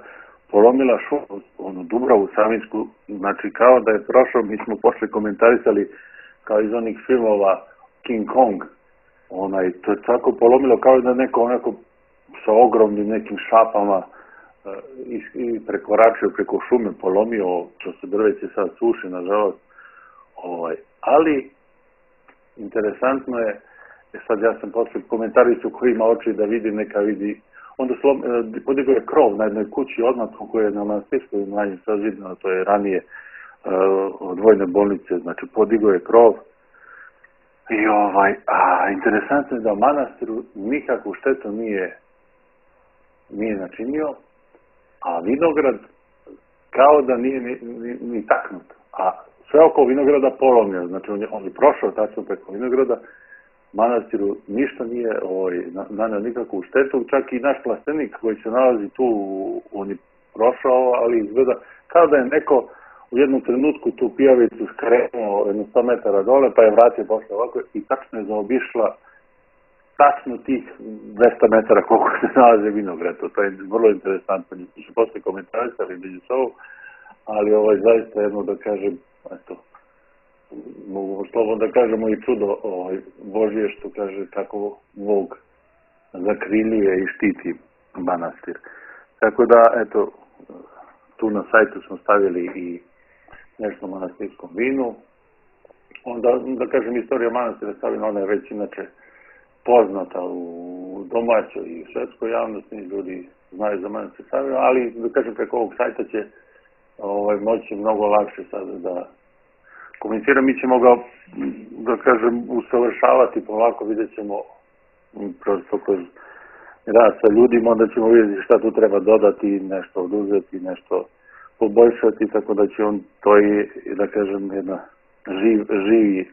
polomila šumu, onu Dubravu Savinsku, znači kao da je prošao, mi smo posle komentarisali kao iz onih filmova King Kong, onaj, to je tako polomilo kao da neko onako sa ogromnim nekim šapama uh, i, i prekoračio preko šume, polomio, što se drveće sad suši, nažalost. Ovaj, ali, interesantno je, sad ja sam posle komentarisu koji ima oči da vidi, neka vidi. Onda slom, podigao je krov na jednoj kući odmah koja je na manastirskoj imanje sazidana, to je ranije uh, od vojne bolnice, znači podigao je krov. I ovaj, a interesantno je da manastiru nikakvu štetu nije, nije načinio, a vinograd kao da nije ni, ni, ni taknut. A sve oko vinograda polomio, znači on je, on je prošao tačno preko vinograda, manastiru ništa nije ovaj, naneo nikakvu štetu, čak i naš plastenik koji se nalazi tu, on je prošao, ali izgleda kao da je neko u jednom trenutku tu pijavicu skrenuo jedno sto metara dole, pa je vratio posle ovako i tačno je zaobišla tačno tih dvesta metara koliko se nalaze vinograd. To je vrlo interesantno. Mi su posle komentarisali među sobom, ali ovaj, zaista jedno da kažem, eto, mogu slobodno da kažemo i čudo ovaj, Božije što kaže kako Bog zakriljuje i štiti manastir. Tako da, eto, tu na sajtu smo stavili i nešto o manastirskom vinu. Onda, da kažem, istorija manastira stavljena, ona je već inače poznata u domaćoj i svetskoj javnosti, ljudi znaju za manastir stavljena, ali, da kažem, preko ovog sajta će ovaj, moći mnogo lakše sada da komunicira. Mi ćemo ga, da kažem, usavršavati polako, vidjet ćemo prosto kroz rad sa ljudima, onda ćemo vidjeti šta tu treba dodati, nešto oduzeti, nešto poboljšati, tako da će on, to je, da kažem, jedna živ, živi e,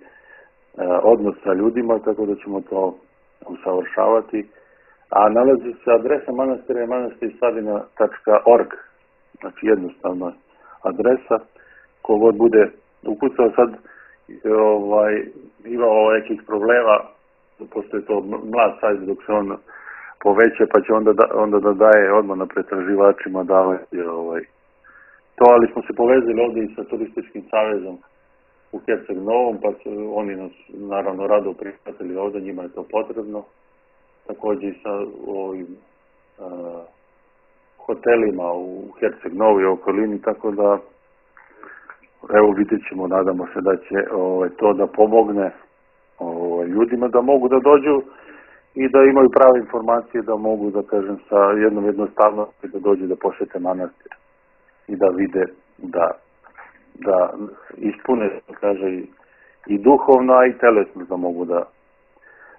odnos sa ljudima, tako da ćemo to usavršavati. A nalazi se adresa manastira je manastir savina tačka org, znači jednostavna adresa, kogod bude ukucao sad, ovaj, imao nekih problema, pošto je to mlad sajt, dok se on poveća, pa će onda da, onda da daje odmah na pretraživačima davati ovaj, to, ali smo se povezali ovdje i sa Turističkim savezom u Herceg Novom, pa su oni nas naravno rado prihvatili ovdje, njima je to potrebno. Također i sa ovim uh, hotelima u Herceg Novoj okolini, tako da evo vidjet ćemo, nadamo se da će ovaj, to da pomogne ovaj, ljudima da mogu da dođu i da imaju prave informacije, da mogu, da kažem, sa jednom jednostavnosti da dođu da posjete manastir i da vide da, da ispune, da kaže, i, i duhovno, a i telesno, da mogu da,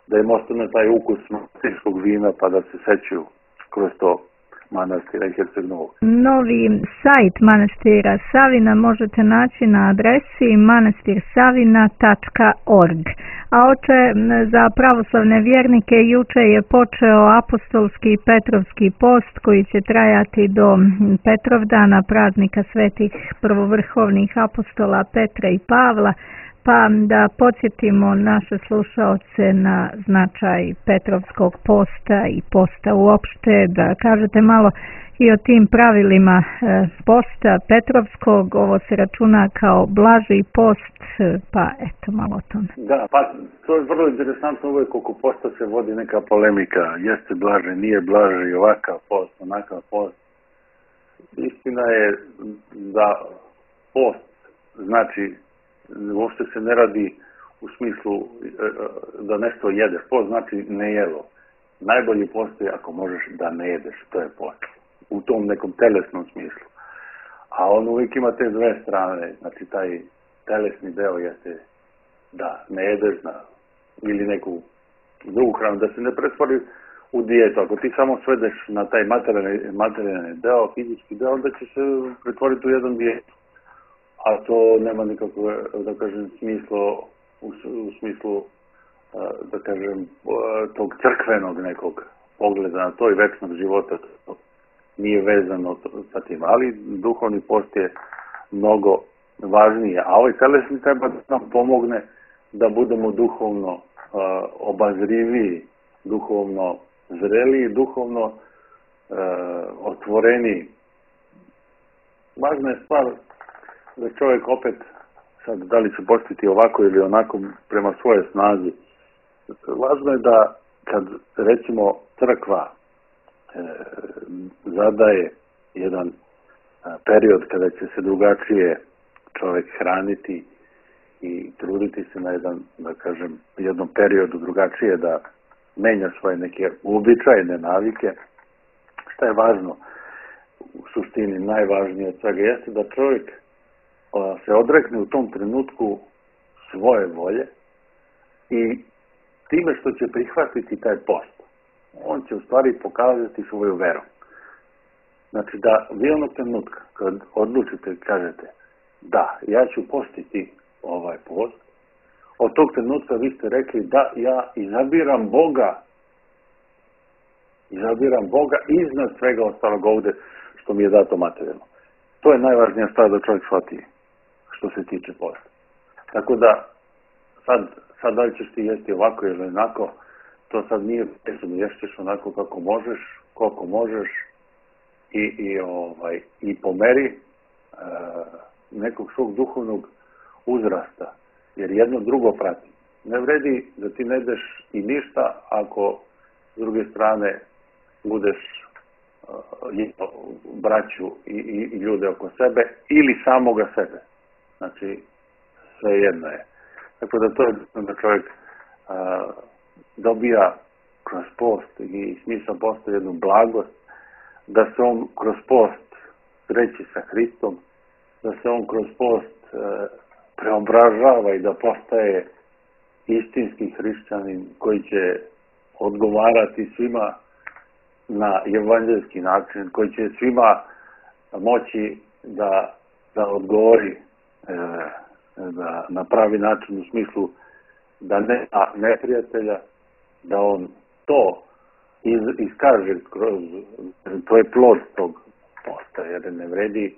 da im ostane taj ukus manastirskog vina, pa da se sećaju kroz to manastira i Herceg Novog. Novi sajt manastira Savina možete naći na adresi manastir savina tačka org. A oče, za pravoslavne vjernike juče je počeo apostolski i petrovski post koji će trajati do Petrovdana, praznika svetih prvovrhovnih apostola Petra i Pavla. Pa da podsjetimo naše slušaoce na značaj Petrovskog posta i posta uopšte, da kažete malo i o tim pravilima posta Petrovskog. Ovo se računa kao blaži post, pa eto malo o tome. Da, pa to je vrlo interesantno, uvijek oko posta se vodi neka polemika, jeste blaže, nije blaže, ovakav post, onakav post. Istina je da post znači uopšte se ne radi u smislu da nešto jedeš. Post znači ne jelo. Najbolji post je ako možeš da ne jedeš, to je post. U tom nekom telesnom smislu. A on uvijek ima te dve strane. Znači taj telesni deo jeste da ne jedeš na, ili neku drugu hranu, da se ne pretvori u dijetu. Ako ti samo svedeš na taj materijalni, materijalni deo, fizički deo, onda će se pretvoriti u jedan dijetu. A to nema nikakvo, da kažem, smislo, u, u smislu, da kažem, tog crkvenog nekog pogleda na to i večnog života. To nije vezano sa tim, ali duhovni post je mnogo važnije. A ovaj telesni treba da nam pomogne da budemo duhovno uh, obazriviji, duhovno zreliji, duhovno uh, otvoreniji. Važna je stvar da čovjek opet, sad da li će postiti ovako ili onako prema svoje snazi, važno je da kad recimo crkva e, zadaje jedan a, period kada će se drugačije čovjek hraniti i truditi se na jedan, da kažem, jednom periodu drugačije da menja svoje neke uobičajene navike, šta je važno u suštini, najvažnije od svega jeste da čovjek se odrekne u tom trenutku svoje volje i time što će prihvatiti taj post, on će u stvari pokazati svoju veru. Znači da vi onog trenutka kad odlučite i kažete da, ja ću postiti ovaj post, od tog trenutka vi ste rekli da, ja izabiram Boga, izabiram Boga iznad svega ostalog ovdje što mi je dato materijalno. To je najvažnija stvar da čovjek shvati što se tiče posta. Tako da, sad, sad da li ćeš ti jesti ovako ili onako, to sad nije presudno, ješćeš onako kako možeš, koliko možeš i, i, ovaj, i po meri e, nekog svog duhovnog uzrasta, jer jedno drugo prati. Ne vredi da ti ne ideš i ništa ako s druge strane budeš uh, braću i, i, i ljude oko sebe ili samoga sebe. Znači, sve jedno je. Tako da to je da čovjek a, dobija kroz post i smisao posta jednu blagost, da se on kroz post sreći sa Hristom, da se on kroz post a, preobražava i da postaje istinski hrišćanin koji će odgovarati svima na evanđelski način, koji će svima moći da, da odgovori da na pravi način u smislu da nema neprijatelja, da on to iz, iskaže kroz, to je plod tog posta, jer ne vredi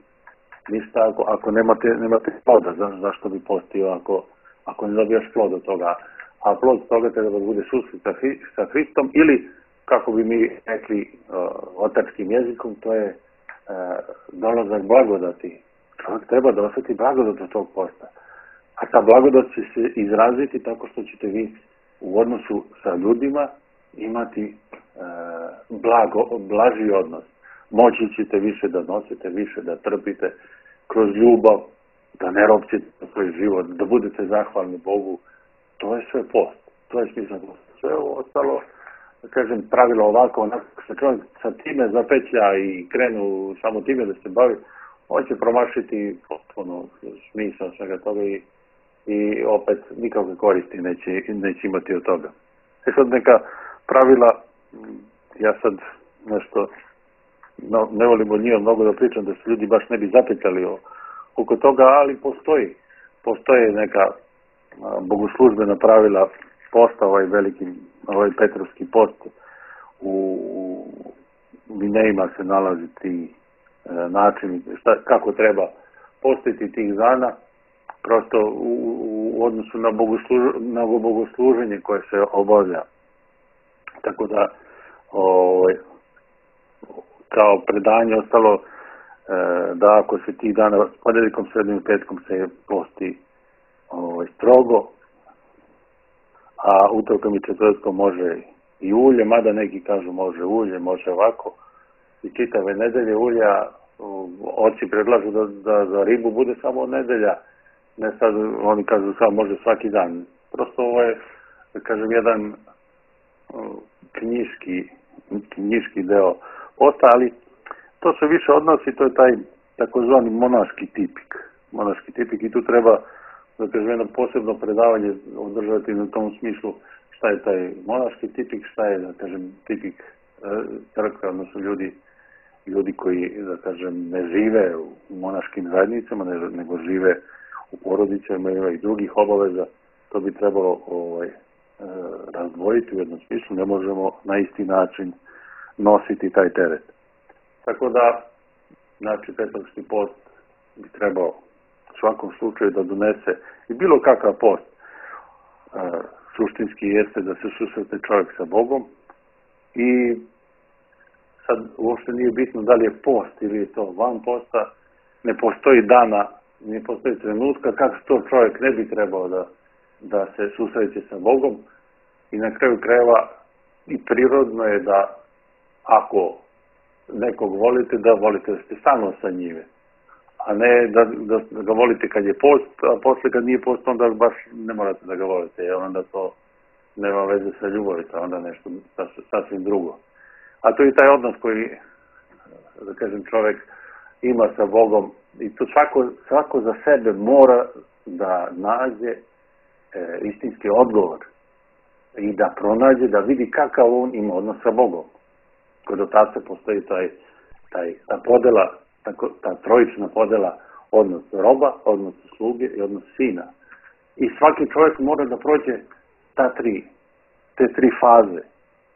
ništa ako, ako nemate, nemate ploda, za, zašto bi postio ako ako ne dobijaš plod od toga. A plod toga treba da bude susret sa Hristom ili, kako bi mi rekli uh, otačkim jezikom, to je uh, dolazak blagodati. Čovjek treba da osjeti blagodat od tog posta. A ta blagodat će se izraziti tako što ćete vi u odnosu sa ljudima imati uh, blago, blaži odnos. Moći ćete više da nosite, više da trpite kroz ljubav, da ne ropćete na svoj život, da budete zahvalni Bogu. To je sve post. To je smisla posta. Sve ovo ostalo, da kažem, pravilo ovako, onako, što čovjek sa time zapetlja i krenu samo time da se bavi, on će promašiti potpuno smisla svega toga i, i opet nikakve koristi neće, neće imati od toga. E sad neka pravila, ja sad nešto, no, ne volim od njima mnogo da pričam, da se ljudi baš ne bi zapetljali o, oko toga, ali postoji. Postoje neka a, bogoslužbena pravila posta, ovaj veliki, ovaj Petrovski post. U, u Minejima se nalazi ti e, načini, šta, kako treba postiti tih dana, prosto u, u odnosu na, bogosluž, na bogosluženje koje se obavlja. Tako da, ovaj, kao predanje ostalo e, da ako se tih dana s ponedjeljkom, srednjim i petkom se posti ovaj, strogo, a utorkom i četvrtkom može i ulje, mada neki kažu može ulje, može ovako. I čitave nedelje ulja, oci predlažu da, da za ribu bude samo od nedelja, ne sad, oni kažu samo može svaki dan. Prosto ovo je, da kažem, jedan knjiški, knjiški deo posta, ali to se više odnosi, to je taj takozvani monaški tipik. Monaški tipik i tu treba, da kažem, jedno posebno predavanje održati na tom smislu šta je taj monaški tipik, šta je, da kažem, tipik crkve, odnosno ljudi, ljudi koji, da kažem, ne žive u monaškim zajednicama, nego žive u porodicama, ima i drugih obaveza. To bi trebalo ovaj, razdvojiti u jednom smislu, ne možemo na isti način nositi taj teret. Tako da, znači, Petrovski post bi trebao u svakom slučaju da donese i bilo kakav post. E, suštinski jeste da se susrete čovjek sa Bogom i sad uopšte nije bitno da li je post ili je to van posta, ne postoji dana, ne postoji trenutka kako to čovjek ne bi trebao da, da se susreće sa Bogom i na kraju krajeva i prirodno je da ako nekog volite, da volite da ste stalno sa njime, a ne da, da, da ga volite kad je post, a posle kad nije post, onda baš ne morate da ga volite, jer onda to nema veze sa ljubavi, to onda nešto sasvim drugo. A to je taj odnos koji, da kažem, čovjek ima sa Bogom i to svako, svako za sebe mora da nađe e, istinski odgovor i da pronađe, da vidi kakav on ima odnos sa Bogom. Kod otaca postoji taj, taj, ta podela, ta, ta trojična podela, odnos roba, odnos sluge i odnos sina. I svaki čovjek mora da prođe ta tri, te tri faze.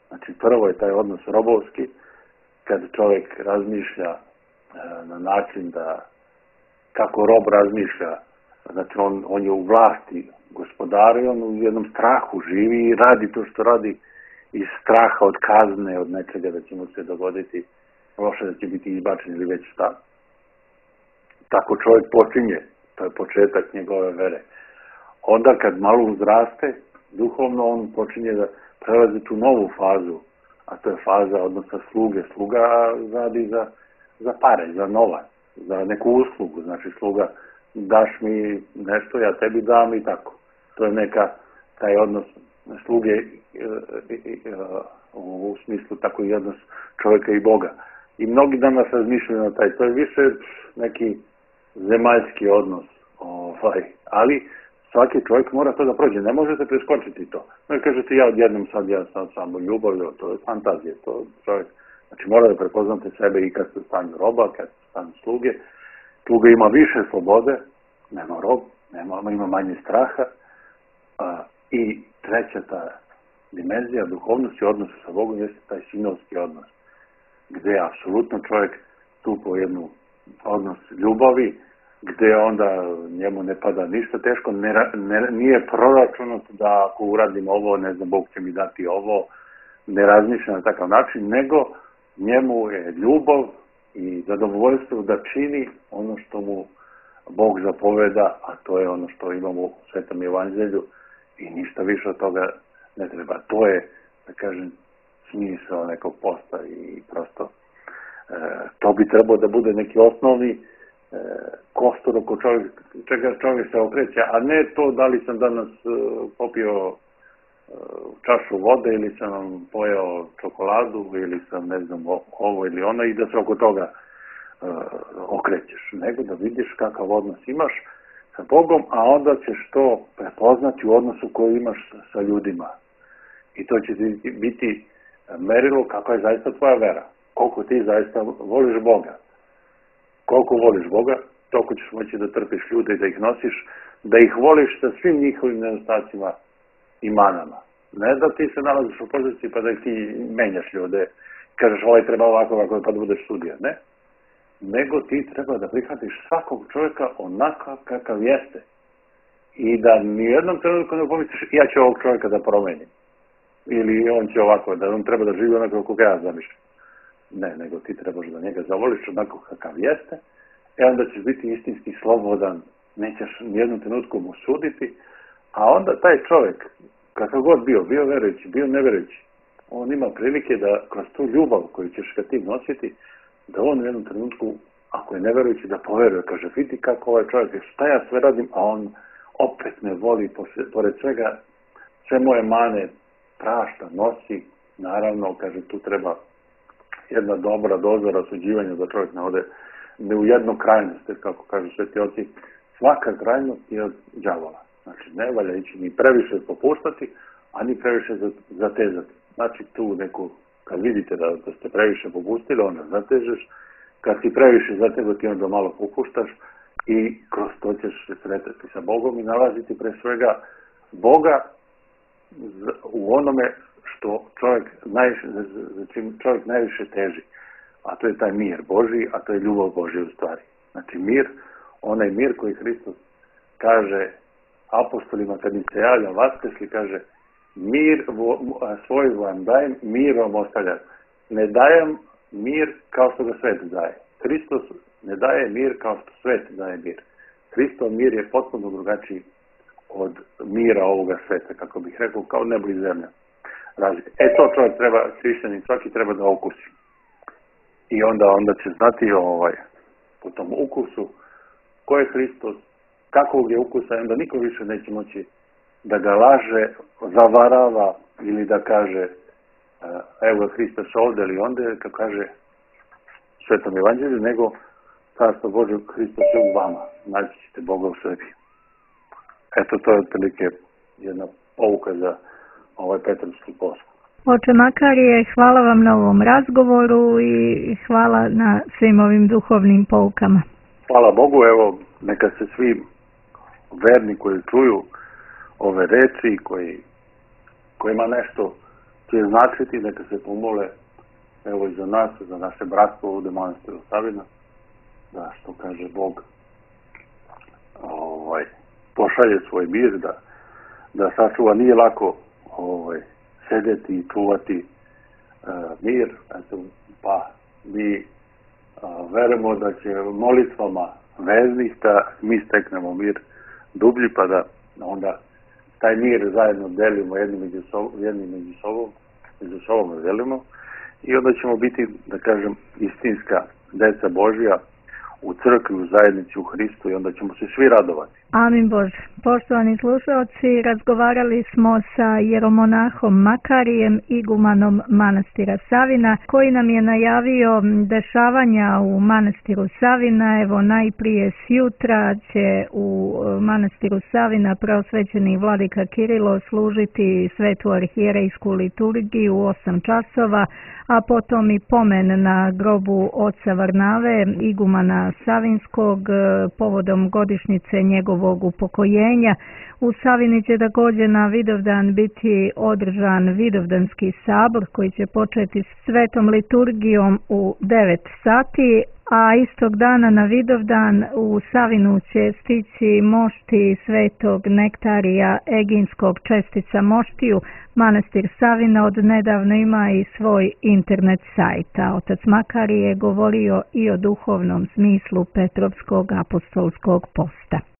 Znači, prvo je taj odnos robovski, kad čovjek razmišlja e, na način da, kako rob razmišlja, znači on, on je u vlasti gospodara i on u jednom strahu živi i radi to što radi iz straha od kazne, od nečega da će mu se dogoditi loše, da će biti izbačen ili već šta. Tako čovjek počinje, to je početak njegove vere. Onda kad malo uzraste, duhovno on počinje da prelazi tu novu fazu, a to je faza odnosa sluge. Sluga radi za, za pare, za novac, za neku uslugu. Znači sluga, daš mi nešto, ja tebi dam i tako. To je neka, taj odnos sluge e, e, e, u smislu tako i odnos čovjeka i Boga. I mnogi danas razmišljaju na taj, to je više neki zemaljski odnos, ovaj, ali svaki čovjek mora to da prođe, ne možete preskočiti to. Ne kažete ja odjednom sad ja sam samo ljubavlju, to je fantazija, to čovjek, znači mora da prepoznate sebe i kad ste u stanju roba, kad ste u stanju sluge. Sluga ima više slobode, nema rob, nema, ima manje straha, a, i treća ta dimenzija duhovnosti, odnosa sa Bogom, jeste taj sinovski odnos, gdje apsolutno čovjek stupa u jednu odnos ljubavi, gde onda njemu ne pada ništa teško, ne, ne, nije proračunat da ako uradim ovo, ne znam, Bog će mi dati ovo, ne razmišlja na takav način, nego njemu je ljubav i zadovoljstvo da čini ono što mu Bog zapoveda, a to je ono što imamo u Svetom evanđelju i ništa više od toga ne treba. To je, da kažem, smisao nekog posta i prosto e, to bi trebao da bude neki osnovni e, kostur oko čovjek, čega čovjek se okreće, a ne to da li sam danas e, popio e, čašu vode ili sam pojeo čokoladu ili sam ne znam ovo ili ono i da se oko toga e, okrećeš, nego da vidiš kakav odnos imaš sa Bogom, a onda ćeš to prepoznati u odnosu koji imaš sa ljudima. I to će biti merilo kakva je zaista tvoja vera. Koliko ti zaista voliš Boga. Koliko voliš Boga, toliko ćeš moći da trpiš ljude i da ih nosiš, da ih voliš sa svim njihovim nedostacima i manama. Ne da ti se nalaziš u poziciji pa da ih ti menjaš ljude, kažeš ovaj treba ovako, ovako, pa da budeš sudija. Ne. Nego ti treba da prihvatiš svakog čovjeka onako kakav jeste. I da nijednom trenutku ne pomisliš ja ću ovog čovjeka da promenim. Ili on će ovako, da on treba da živi onako kako ja zamišljam. Ne, nego ti trebaš da njega zavoliš onako kakav jeste, e onda ćeš biti istinski slobodan, nećeš nijednom trenutku mu suditi, a onda taj čovjek, kakav god bio, bio verujući, bio neverujući, on ima prilike da kroz tu ljubav koju ćeš ga ti nositi, da on u jednom trenutku, ako je neverujući, da poveruje, kaže, vidi kako ovaj čovjek, šta ja sve radim, a on opet me voli, pored svega, sve moje mane prašta, nosi, naravno, kaže, tu treba jedna dobra doza rasuđivanja da čovjek ne ode ne u jednu krajnost, jer kako kažu sveti oci, svaka krajnost je od đavola. Znači, ne valja ići ni previše popuštati, a ni previše zatezati. Znači, tu neku, kad vidite da, da ste previše popustili, onda zatežeš, kad si previše zatezati, onda malo popuštaš i kroz to ćeš se sretati sa Bogom i nalaziti pre svega Boga u onome što čovjek najviše, za čim čovjek najviše teži, a to je taj mir Božji, a to je ljubav Božja u stvari. Znači mir, onaj mir koji Hristos kaže apostolima kad im se javlja vaskrsli, kaže mir svoj vam dajem, mir vam ostavljam. Ne dajem mir kao što ga svet daje. Hristos ne daje mir kao što svet daje mir. Hristov mir je potpuno drugačiji od mira ovoga sveta, kako bih rekao, kao nebo i zemlja. Razlika. E to čovjek treba, hrišćanin svaki treba da okusi. I onda, onda će znati ovaj, po tom ukusu ko je Hristos, kakvog je ukusa, onda niko više neće moći da ga laže, zavarava ili da kaže evo je Hristos ovdje ili onda, kako kaže Svetom evanđelju, nego Carstvo Božje Hristos je u vama, naći ćete Boga u sebi. Eto, to je otprilike jedna pouka za ovaj Petrovski post. Oče Makarije, hvala vam na ovom razgovoru i hvala na svim ovim duhovnim poukama. Hvala Bogu, evo, neka se svi verni koji čuju ove reči, koji, kojima nešto će značiti, neka se pomole, evo i za nas, za naše bratstvo ovdje manastiru Savina, da što kaže Bog, ovaj, pošalje svoj mir, da, da sačuva, nije lako ovaj, sedeti i čuvati uh, mir, eto, pa mi uh, verujemo da će molitvama veznih da mi steknemo mir dublji, pa da onda taj mir zajedno delimo jedni među sobom, jedni među sobom, među sobom delimo i onda ćemo biti, da kažem, istinska deca Božja u crkvi, u zajednici, u Hristu i onda ćemo se svi radovati. Amin Bože. Poštovani slušalci, razgovarali smo sa jeromonahom Makarijem, igumanom manastira Savina, koji nam je najavio dešavanja u manastiru Savina. Evo, najprije sjutra će u manastiru Savina preosvećeni vladika Kirilo služiti svetu arhijerejsku liturgiju u osam časova, a potom i pomen na grobu oca Varnave, igumana Savinskog, povodom godišnjice njegovog upokojenja. uverenja. U Savini će također na Vidovdan biti održan Vidovdanski sabor koji će početi s svetom liturgijom u devet sati, a istog dana na Vidovdan u Savinu će stići mošti svetog Nektarija Eginskog čestica moštiju. Manastir Savina od nedavno ima i svoj internet sajt, a otac Makari je govorio i o duhovnom smislu Petrovskog apostolskog posta.